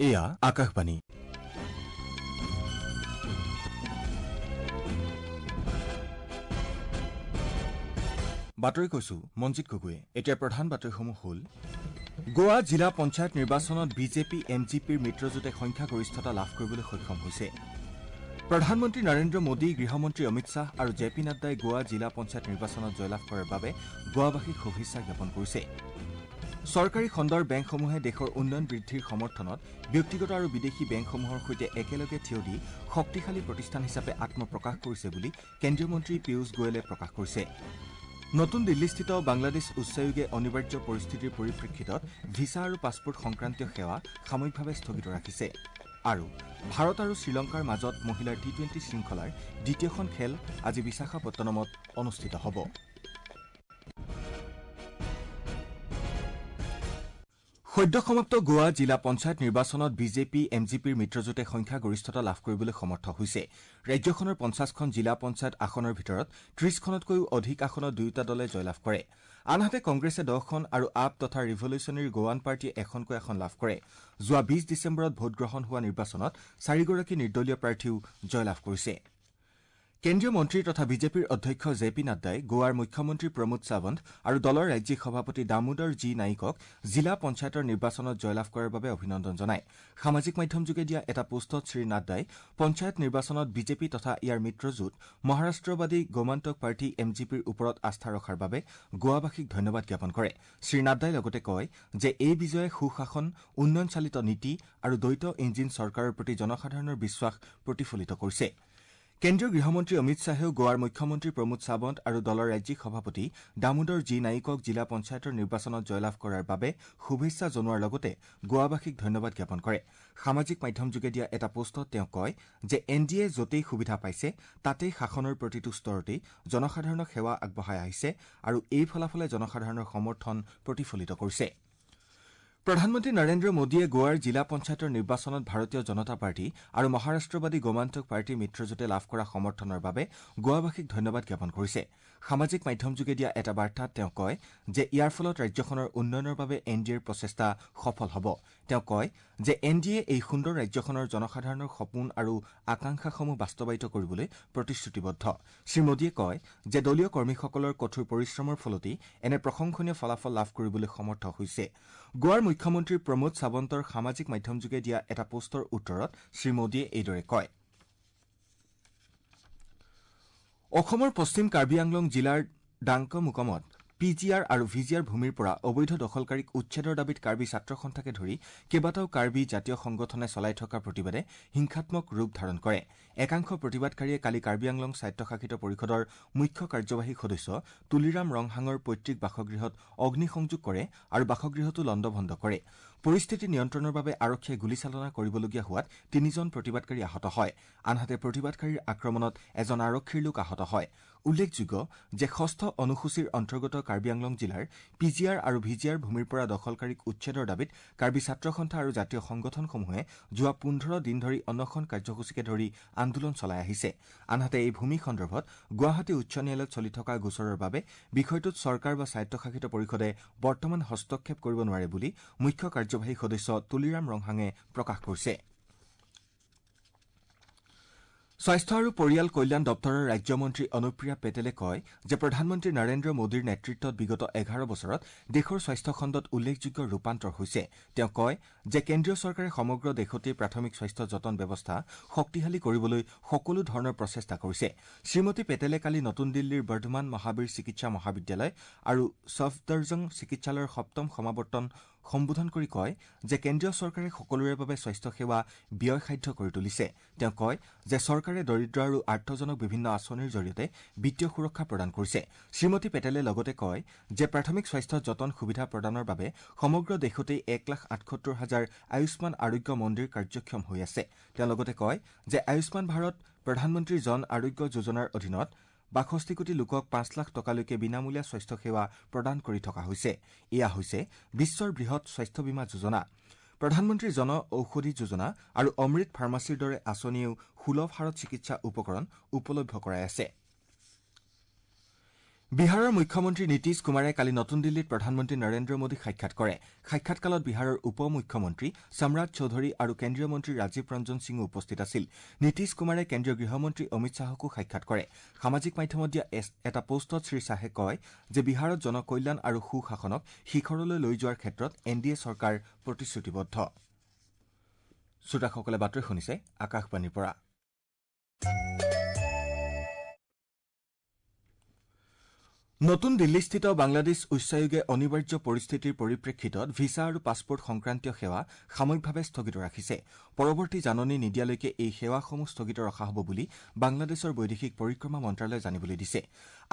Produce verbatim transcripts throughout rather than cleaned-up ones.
এয়া আকাশবাণী। বাতৰি কৈছো মঞ্জিত গগৈয়ে। এতিয়া প্ৰধান বাতৰিসমূহ হ'ল: গোৱা জিলা পঞ্চায়ত নিৰ্বাচনত বিজেপি এম জি পিৰ মিত্ৰজোঁটে সংখ্যাগৰিষ্ঠতা লাভ কৰিবলৈ সক্ষম হৈছে। প্ৰধানমন্ত্ৰী নৰেন্দ্ৰ মোদী, গৃহমন্ত্ৰী অমিত শ্বাহ আৰু জে পি নাড্ডাই গোৱা জিলা পঞ্চায়ত নিৰ্বাচনত জয়লাভ কৰাৰ বাবে গোৱাবাসীক শুভেচ্ছা জ্ঞাপন কৰিছে। চৰকাৰী খণ্ডৰ বেংকসমূহে দেশৰ উন্নয়ন বৃদ্ধিৰ সমৰ্থনত ব্যক্তিগত আৰু বিদেশী বেংকসমূহৰ সৈতে একেলগে থিয় দি শক্তিশালী প্ৰতিষ্ঠান হিচাপে আত্মপ্ৰকাশ কৰিছে বুলি কেন্দ্ৰীয় মন্ত্ৰী পীয়ুষ গোৱেলে প্ৰকাশ কৰিছে। নতুন দিল্লীস্থিত বাংলাদেশ উচ্চায়োগে অনিবাৰ্য পৰিস্থিতিৰ পৰিপ্ৰেক্ষিতত ভিছা আৰু পাছপোৰ্ট সংক্ৰান্তীয় সেৱা সাময়িকভাৱে স্থগিত ৰাখিছে। আৰু ভাৰত আৰু শ্ৰীলংকাৰ মাজত মহিলাৰ টি টুৱেণ্টি শৃংখলাৰ দ্বিতীয়খন খেল আজি বিশাখাপট্টনমত অনুষ্ঠিত হ'ব। সদ্য সমাপ্ত গোৱা জিলা পঞ্চায়ত নিৰ্বাচনত বিজেপি এম জি পিৰ মিত্ৰজোঁটে সংখ্যাগৰিষ্ঠতা লাভ কৰিবলৈ সমৰ্থ হৈছে। ৰাজ্যখনৰ পঞ্চাশখন জিলা পঞ্চায়ত আসনৰ ভিতৰত ত্ৰিশখনতকৈও অধিক আসনত দুয়োটা দলে জয়লাভ কৰে। আনহাতে কংগ্ৰেছে দহখন আৰু আপ তথা ৰিভলিউচনেৰী গোৱান পাৰ্টীয়ে এখনকৈ আসন লাভ কৰে। যোৱা বিশ ডিচেম্বৰত ভোটগ্ৰহণ হোৱা নিৰ্বাচনত চাৰিগৰাকী নিৰ্দলীয় প্ৰাৰ্থীও জয়লাভ কৰিছে। কেন্দ্ৰীয় মন্ত্ৰী তথা বিজেপিৰ অধ্যক্ষ জে পি নাড্ডাই গোৱাৰ মুখ্যমন্ত্ৰী প্ৰমোদ সাৱন্ত আৰু দলৰ ৰাজ্যিক সভাপতি দামোদৰ জি নাইকক জিলা পঞ্চায়তৰ নিৰ্বাচনত জয়লাভ কৰাৰ বাবে অভিনন্দন জনায়। সামাজিক মাধ্যমযোগে দিয়া এটা পোষ্টত শ্ৰীনাড্ডাই পঞ্চায়ত নিৰ্বাচনত বিজেপি তথা ইয়াৰ মিত্ৰজোঁট মহাৰাষ্ট্ৰবাদী গোমান্তক পাৰ্টী এম জি পিৰ ওপৰত আস্থা ৰখাৰ বাবে গোৱাবাসীক ধন্যবাদ জ্ঞাপন কৰে। শ্ৰীনাড্ডাই লগতে কয় যে এই বিজয়ে সুশাসন, উন্নয়নচালিত নীতি আৰু দ্বৈত ইঞ্জিন চৰকাৰৰ প্ৰতি জনসাধাৰণৰ বিশ্বাস প্ৰতিফলিত কৰিছে। কেন্দ্ৰীয় গৃহমন্ত্ৰী অমিত শ্বাহেও গোৱাৰ মুখ্যমন্ত্ৰী প্ৰমোদ সাৱন্ত আৰু দলৰ ৰাজ্যিক সভাপতি দামোদৰ জি নাইকক জিলা পঞ্চায়তৰ নিৰ্বাচনত জয়লাভ কৰাৰ বাবে শুভেচ্ছা জনোৱাৰ লগতে গোৱাবাসীক ধন্যবাদ জ্ঞাপন কৰে। সামাজিক মাধ্যমযোগে দিয়া এটা পোষ্টত তেওঁ কয় যে এন ডি এ য'তেই সুবিধা পাইছে তাতেই শাসনৰ প্ৰতিটো স্তৰতেই জনসাধাৰণক সেৱা আগবঢ়াই আহিছে আৰু এই ফলাফলে জনসাধাৰণৰ সমৰ্থন প্ৰতিফলিত কৰিছে। প্ৰধানমন্ত্ৰী নৰেন্দ্ৰ মোদীয়ে গোৱাৰ জিলা পঞ্চায়তৰ নিৰ্বাচনত ভাৰতীয় জনতা পাৰ্টী আৰু মহাৰাষ্ট্ৰবাদী গোমান্তক পাৰ্টীৰ মিত্ৰজোঁটে লাভ কৰা সমৰ্থনৰ বাবে গোৱাবাসীক ধন্যবাদ জ্ঞাপন কৰিছে। সামাজিক মাধ্যমযোগে দিয়া এটা বাৰ্তাত তেওঁ কয় যে ইয়াৰ ফলত ৰাজ্যখনৰ উন্নয়নৰ বাবে এন ডি এৰ প্ৰচেষ্টা সফল হ'ব। তেওঁ কয় যে এন ডি এ এই সুন্দৰ ৰাজ্যখনৰ জনসাধাৰণৰ সপোন আৰু আকাংক্ষাসমূহ বাস্তৱায়িত কৰিবলৈ প্ৰতিশ্ৰুতিবদ্ধ। শ্ৰীমোদীয়ে কয় যে দলীয় কৰ্মীসকলৰ কঠোৰ পৰিশ্ৰমৰ ফলতেই এনে প্ৰশংসনীয় ফলাফল লাভ কৰিবলৈ সমৰ্থ হৈছে। গোৱাৰ মুখ্যমন্ত্ৰী প্ৰমোদ সাৱন্তৰ সামাজিক মাধ্যমযোগে দিয়া এটা পোষ্টৰ উত্তৰত শ্ৰীমোদীয়ে এইদৰে কয়। অসমৰ পশ্চিম কাৰ্বি আংলং জিলাৰ ডাংকমুকমত পি জি আৰ আৰু ভি জি আৰ ভূমিৰ পৰা অবৈধ দখলকাৰীক উচ্ছেদৰ দাবীত কাৰ্বি ছাত্ৰ সন্থাকে ধৰি কেইবাটাও কাৰ্বি জাতীয় সংগঠনে চলাই থকা প্ৰতিবাদে হিংসাত্মক ৰূপ ধাৰণ কৰে। একাংশ প্ৰতিবাদকাৰীয়ে কালি কাৰ্বি আংলং স্বায়ত্তশাসিত পৰিষদৰ মুখ্য কাৰ্যবাহী সদস্য তুলিৰাম ৰংহাঙৰ পৈতৃক বাসগৃহত অগ্নিসংযোগ কৰে আৰু বাসগৃহটো লণ্ডভণ্ড কৰে। পৰিস্থিতি নিয়ন্ত্ৰণৰ বাবে আৰক্ষীয়ে গুলীচালনা কৰিবলগীয়া হোৱাত তিনিজন প্ৰতিবাদকাৰী আহত হয়। আনহাতে প্ৰতিবাদকাৰীৰ আক্ৰমণত এজন আৰক্ষীৰ লোক আহত হয়। উল্লেখযোগ্য যে ষষ্ঠ অনুসূচীৰ অন্তৰ্গত কাৰ্বি আংলং জিলাৰ পি জি আৰ আৰু ভি জি আৰ ভূমিৰ পৰা দখলকাৰীক উচ্ছেদৰ দাবীত কাৰ্বি ছাত্ৰ সন্থা আৰু জাতীয় সংগঠনসমূহে যোৱা পোন্ধৰ দিন ধৰি অনশন কাৰ্যসূচীকে ধৰি আন্দোলন চলাই আহিছে। আনহাতে এই ভূমি সন্দৰ্ভত গুৱাহাটী উচ্চ ন্যায়ালয়ত চলি থকা গোচৰৰ বাবে বিষয়টোত চৰকাৰ বা স্বায়ত্তশাসিত পৰিষদে বৰ্তমান হস্তক্ষেপ কৰিব নোৱাৰে বুলি মুখ্য কাৰ্যবাহী সদস্য তুলিৰাম ৰংহাঙে প্ৰকাশ কৰিছে। স্বাস্থ্য আৰু পৰিয়াল কল্যাণ দপ্তৰৰ ৰাজ্যমন্ত্ৰী অনুপ্ৰিয়া পেটেলে কয় যে প্ৰধানমন্ত্ৰী নৰেন্দ্ৰ মোদীৰ নেতৃত্বত বিগত এঘাৰ বছৰত দেশৰ স্বাস্থ্য খণ্ডত উল্লেখযোগ্য ৰূপান্তৰ হৈছে। তেওঁ কয় যে কেন্দ্ৰীয় চৰকাৰে সমগ্ৰ দেশতে প্ৰাথমিক স্বাস্থ্য যতন ব্যৱস্থা শক্তিশালী কৰিবলৈ সকলো ধৰণৰ প্ৰচেষ্টা কৰিছে। শ্ৰীমতী পেটেলে কালি নতুন দিল্লীৰ বৰ্ধমান মহাবীৰ চিকিৎসা মহাবিদ্যালয় আৰু ছফদৰজং চিকিৎসালয়ৰ সপ্তম সমাৱৰ্তন সম্বোধন কৰি কয় যে কেন্দ্ৰীয় চৰকাৰে সকলোৰে বাবে স্বাস্থ্য সেৱা ব্যয়সাধ্য কৰি তুলিছে। তেওঁ কয় যে চৰকাৰে দৰিদ্ৰ আৰু আৰ্থজনক বিভিন্ন আঁচনিৰ জৰিয়তে বিত্তীয় সুৰক্ষা প্ৰদান কৰিছে। শ্ৰীমতী পেটেলে লগতে কয় যে প্ৰাথমিক স্বাস্থ্য যতন সুবিধা প্ৰদানৰ বাবে সমগ্ৰ দেশতেই এক লাখ আঠসত্তৰ হাজাৰ আয়ুষ্মান আৰোগ্য মন্দিৰ কাৰ্যক্ষম হৈ আছে। তেওঁ লগতে কয় যে আয়ুষ্মান ভাৰত প্ৰধানমন্ত্ৰী জন আৰোগ্য যোজনাৰ অধীনত বাষষ্ঠি কোটি লোকক পাঁচ লাখ টকালৈকে বিনামূলীয়া স্বাস্থ্য সেৱা প্ৰদান কৰি থকা হৈছে। এয়া হৈছে বিশ্বৰ বৃহৎ স্বাস্থ্য বীমা যোজনা। প্ৰধানমন্ত্ৰী জন ঔষধি যোজনা আৰু অমৃত ফাৰ্মাচীৰ দৰে আঁচনিয়েও সুলভ হাৰত চিকিৎসা উপকৰণ উপলভ্য কৰাই আছে। বিহাৰৰ মুখ্যমন্ত্ৰী নীতিশ কুমাৰে কালি নতুন দিল্লীত প্ৰধানমন্ত্ৰী নৰেন্দ্ৰ মোদীক সাক্ষাৎ কৰে। সাক্ষাৎকালত বিহাৰৰ উপ মুখ্যমন্ত্ৰী সম্ৰাট চৌধুৰী আৰু কেন্দ্ৰীয় মন্ত্ৰী ৰাজীৱ ৰঞ্জন সিঙো উপস্থিত আছিল। নীতিশ কুমাৰে কেন্দ্ৰীয় গৃহমন্ত্ৰী অমিত শ্বাহকো সাক্ষাৎ কৰে। সামাজিক মাধ্যমত দিয়া এটা পোষ্টত শ্ৰীশ্বাহে কয় যে বিহাৰত জনকল্যাণ আৰু সুশাসনক শিখৰলৈ লৈ যোৱাৰ ক্ষেত্ৰত এন ডি এ চৰকাৰ প্ৰতিশ্ৰুতিবদ্ধ। শ্ৰোতাসকলে বাতৰি শুনিছে আকাশবাণীৰ পৰা। নতুন দিল্লীস্থিত বাংলাদেশ উচ্চায়োগে অনিবাৰ্য পৰিস্থিতিৰ পৰিপ্ৰেক্ষিতত ভিছা আৰু পাছপৰ্ট সংক্ৰান্তীয় সেৱা সাময়িকভাৱে স্থগিত ৰাখিছে। পৰৱৰ্তী জাননী নিদিয়ালৈকে এই সেৱাসমূহ স্থগিত ৰখা হ'ব বুলি বাংলাদেশৰ বৈদেশিক পৰিক্ৰমা মন্ত্ৰালয়ে জানিবলৈ দিছে।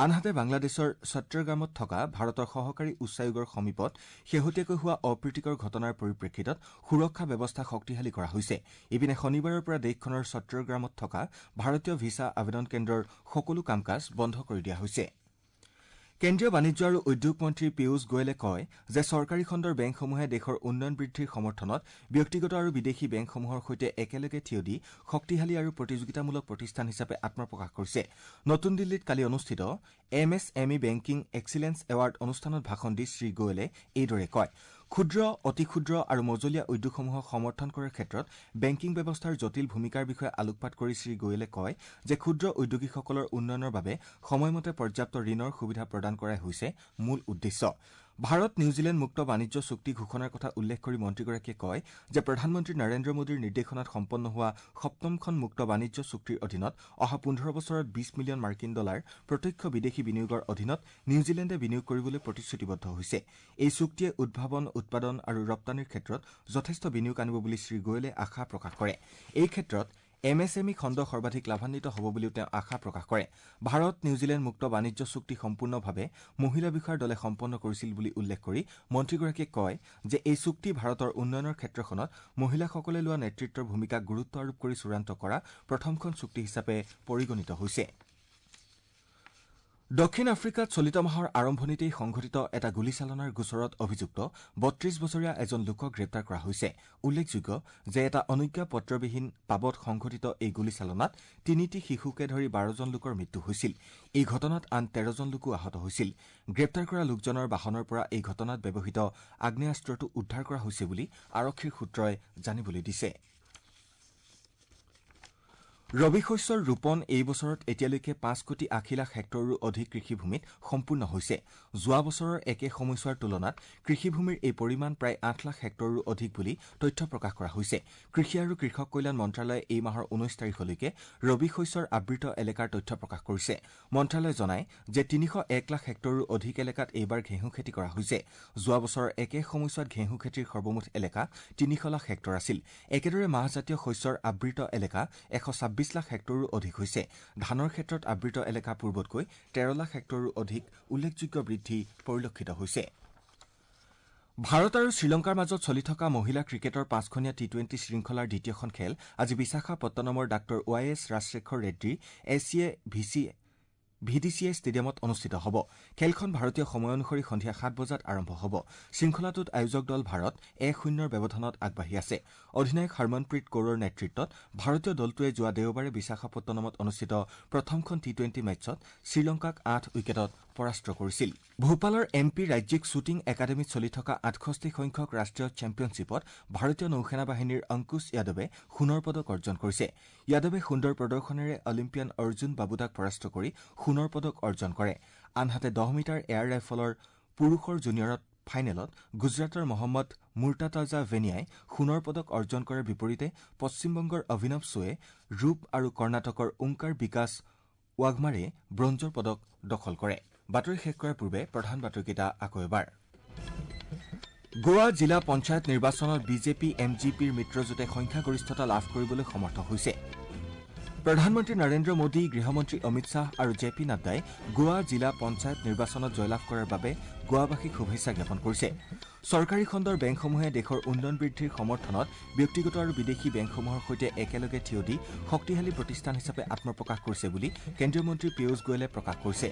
আনহাতে বাংলাদেশৰ চট্টগ্ৰামত থকা ভাৰতৰ সহকাৰী উচ্চায়োগৰ সমীপত শেহতীয়াকৈ হোৱা অপ্ৰীতিকৰ ঘটনাৰ পৰিপ্ৰেক্ষিতত সুৰক্ষা ব্যৱস্থা শক্তিশালী কৰা হৈছে। ইপিনে শনিবাৰৰ পৰা দেশখনৰ চট্টগ্ৰামত থকা ভাৰতীয় ভিছা আবেদন কেন্দ্ৰৰ সকলো কাম কাজ বন্ধ কৰি দিয়া হৈছে। কেন্দ্ৰীয় বাণিজ্য আৰু উদ্যোগ মন্ত্ৰী পীয়ুষ গোৱেলে কয় যে চৰকাৰী খণ্ডৰ বেংকসমূহে দেশৰ উন্নয়ন বৃদ্ধিৰ সমৰ্থনত ব্যক্তিগত আৰু বিদেশী বেংকসমূহৰ সৈতে একেলগে থিয় দি শক্তিশালী আৰু প্ৰতিযোগিতামূলক প্ৰতিষ্ঠান হিচাপে আত্মপ্ৰকাশ কৰিছে। নতুন দিল্লীত কালি অনুষ্ঠিত M S M E banking excellence award অনুষ্ঠানত ভাষণ দি শ্ৰীগোৱেলে এইদৰে কয়। ক্ষুদ্ৰ, অতি ক্ষুদ্ৰ আৰু মজলীয়া উদ্যোগসমূহক সমৰ্থন কৰাৰ ক্ষেত্ৰত বেংকিং ব্যৱস্থাৰ জটিল ভূমিকাৰ বিষয়ে আলোকপাত কৰি শ্ৰীগোৱেলে কয় যে ক্ষুদ্ৰ উদ্যোগীসকলৰ উন্নয়নৰ বাবে সময়মতে পৰ্যাপ্ত ঋণৰ সুবিধা প্ৰদান কৰাই হৈছে মূল উদ্দেশ্য। ভাৰত নিউজিলেণ্ড মুক্ত বাণিজ্য চুক্তি ঘোষণাৰ কথা উল্লেখ কৰি মন্ত্ৰীগৰাকীয়ে কয় যে প্ৰধানমন্ত্ৰী নৰেন্দ্ৰ মোদীৰ নিৰ্দেশনাত সম্পন্ন হোৱা সপ্তমখন মুক্ত বাণিজ্য চুক্তিৰ অধীনত অহা পোন্ধৰ বছৰত বিশ মিলিয়ন মাৰ্কিন ডলাৰ প্ৰত্যক্ষ বিদেশী বিনিয়োগৰ অধীনত নিউজিলেণ্ডে বিনিয়োগ কৰিবলৈ প্ৰতিশ্ৰুতিবদ্ধ হৈছে। এই চুক্তিয়ে উদ্ভাৱন, উৎপাদন আৰু ৰপ্তানিৰ ক্ষেত্ৰত যথেষ্ট বিনিয়োগ আনিব বুলি শ্ৰীগোৱেলে আশা প্ৰকাশ কৰে। এই ক্ষেত্ৰত এম এছ এম ই খণ্ড সৰ্বাধিক লাভান্বিত হ'ব বুলিও তেওঁ আশা প্ৰকাশ কৰে। ভাৰত নিউজিলেণ্ড মুক্ত বাণিজ্য চুক্তি সম্পূৰ্ণভাৱে মহিলা বিষয়াৰ দলে সম্পন্ন কৰিছিল বুলি উল্লেখ কৰি মন্ত্ৰীগৰাকীয়ে কয় যে এই চুক্তি ভাৰতৰ উন্নয়নৰ ক্ষেত্ৰখনত মহিলাসকলে লোৱা নেতৃত্বৰ ভূমিকাক গুৰুত্ব আৰোপ কৰি চূড়ান্ত কৰা প্ৰথমখন চুক্তি হিচাপে পৰিগণিত হৈছে। দক্ষিণ আফ্ৰিকাত চলিত মাহৰ আৰম্ভণিতেই সংঘটিত এটা গুলীচালনাৰ গোচৰত অভিযুক্ত বত্ৰিশ বছৰীয়া এজন লোকক গ্ৰেপ্তাৰ কৰা হৈছে। উল্লেখযোগ্য যে এটা অনুজ্ঞাপত্ৰবিহীন পাবত সংঘটিত এই গুলীচালনাত তিনিটি শিশুকে ধৰি বাৰজন লোকৰ মৃত্যু হৈছিল। এই ঘটনাত আন তেৰজন লোকো আহত হৈছিল। গ্ৰেপ্তাৰ কৰা লোকজনৰ বাহনৰ পৰা এই ঘটনাত ব্যৱহৃত আগ্নেয়াস্ত্ৰটো উদ্ধাৰ কৰা হৈছে বুলি আৰক্ষীৰ সূত্ৰই জানিবলৈ দিছে। ৰবি শস্যৰ ৰোপণ এই বছৰত এতিয়ালৈকে পাঁচ কোটি আশী লাখ হেক্টৰৰো অধিক কৃষিভূমিত সম্পূৰ্ণ হৈছে। যোৱা বছৰৰ একে সময়ছোৱাৰ তুলনাত কৃষিভূমিৰ এই পৰিমাণ প্ৰায় আঠ লাখ হেক্টৰৰো অধিক বুলি তথ্য প্ৰকাশ কৰা হৈছে। কৃষি আৰু কৃষক কল্যাণ মন্ত্ৰালয়ে এই মাহৰ ঊনৈশ তাৰিখলৈকে ৰবি শস্যৰ আবৃত এলেকাৰ তথ্য প্ৰকাশ কৰিছে। মন্ত্ৰালয়ে জনায় যে তিনিশ এক লাখ হেক্টৰৰো অধিক এলেকাত এইবাৰ ঘেঁহু খেতি কৰা হৈছে। যোৱা বছৰৰ একে সময়ছোৱাত ঘেঁহু খেতিৰ সৰ্বমুঠ এলেকা তিনিশ লাখ হেক্টৰ আছিল। একেদৰে মাহজাতীয় শস্যৰ আবৃত এলেকা এশ ছাব্বিছ লাখ হেক্টৰৰো অধিক হৈছে। ধানৰ ক্ষেত্ৰত আবৃত এলেকা পূৰ্বতকৈ তেৰ লাখ হেক্টৰৰো অধিক উল্লেখযোগ্য বৃদ্ধি পৰিলক্ষিত হৈছে। ভাৰত আৰু শ্ৰীলংকাৰ মাজত চলি থকা মহিলা ক্ৰিকেটৰ পাঁচখনীয়া টি টুৱেণ্টি শৃংখলাৰ দ্বিতীয়খন খেল আজি বিশাখাপট্টনমৰ ডাঃ Y S Rajasekhara Reddy S C A V C V D C A ষ্টেডিয়ামত অনুষ্ঠিত হ'ব। খেলখন ভাৰতীয় সময় অনুসৰি সন্ধিয়া সাত বজাত আৰম্ভ হ'ব। শৃংখলাটোত আয়োজক দল ভাৰত এক শূন্যৰ ব্যৱধানত আগবাঢ়ি আছে। অধিনায়ক হৰমনপ্ৰীত কৌৰৰ নেতৃত্বত ভাৰতীয় দলটোৱে যোৱা দেওবাৰে বিশাখাপট্টনমত অনুষ্ঠিত প্ৰথমখন টি টুৱেণ্টি মেচত শ্ৰীলংকাক আঠ উইকেটত পৰাস্ত কৰিছিল। ভূপালৰ এম পি ৰাজ্যিক শ্বুটিং একাডেমীত চলি থকা আঠষষ্ঠি সংখ্যক ৰাষ্ট্ৰীয় চেম্পিয়নশ্বিপত ভাৰতীয় নৌসেনা বাহিনীৰ অংকুশ যাদৱে সোণৰ পদক অৰ্জন কৰিছে। যাদৱে সুন্দৰ প্ৰদৰ্শনেৰে অলিম্পিয়ান অৰ্জুন বাবুতাক পৰাস্ত কৰি সোণৰ পদক অৰ্জন কৰে। আনহাতে দহ মিটাৰ এয়াৰ ৰাইফলৰ পুৰুষৰ জুনিয়ৰত ফাইনেলত গুজৰাটৰ মহম্মদ মুৰ্তাতাজা ভেনিয়াই সোণৰ পদক অৰ্জন কৰাৰ বিপৰীতে পশ্চিমবংগৰ অভিনৱ চোৱে ৰূপ আৰু কৰ্ণাটকৰ ওংকাৰ বিকাশ ৱাঘমাৰে ব্ৰঞ্জৰ পদক দখল কৰে। বাতৰি শেষ কৰাৰ পূৰ্বে প্ৰধান বাতৰিকেইটা আকৌ এবাৰ। গোৱা জিলা পঞ্চায়ত নিৰ্বাচনত বিজেপি এম জি পিৰ মিত্ৰজোঁটে সংখ্যাগৰিষ্ঠতা লাভ কৰিবলৈ সমৰ্থ হৈছে। প্ৰধানমন্ত্ৰী নৰেন্দ্ৰ মোদী, গৃহমন্ত্ৰী অমিত শ্বাহ আৰু জে পি নাড্ডাই গোৱা জিলা পঞ্চায়ত নিৰ্বাচনত জয়লাভ কৰাৰ বাবে গোৱাবাসীক শুভেচ্ছা জ্ঞাপন কৰিছে। চৰকাৰী খণ্ডৰ বেংকসমূহে দেশৰ উন্নয়ন বৃদ্ধিৰ সমৰ্থনত ব্যক্তিগত আৰু বিদেশী বেংকসমূহৰ সৈতে একেলগে থিয় দি শক্তিশালী প্ৰতিষ্ঠান হিচাপে আত্মপ্ৰকাশ কৰিছে বুলি কেন্দ্ৰীয় মন্ত্ৰী পীয়ুষ গোৱেলে প্ৰকাশ কৰিছে।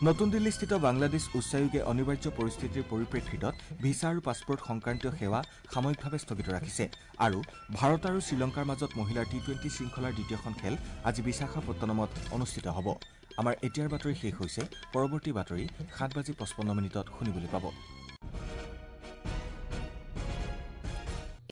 নতুন দিল্লীস্থিত বাংলাদেশ উচ্চায়োগে অনিবাৰ্য পৰিস্থিতিৰ পৰিপ্ৰেক্ষিতত ভিছা আৰু পাছপৰ্ট সংক্ৰান্তীয় সেৱা সাময়িকভাৱে স্থগিত ৰাখিছে। আৰু ভাৰত আৰু শ্ৰীলংকাৰ মাজত মহিলাৰ টি টুৱেণ্টি শৃংখলাৰ দ্বিতীয়খন খেল আজি বিশাখাপট্টনমত অনুষ্ঠিত হ'ব। আমাৰ এতিয়াৰ বাতৰি শেষ হৈছে। পৰৱৰ্তী বাতৰি সাত বাজি পঁচপন্ন মিনিটত শুনিবলৈ পাব।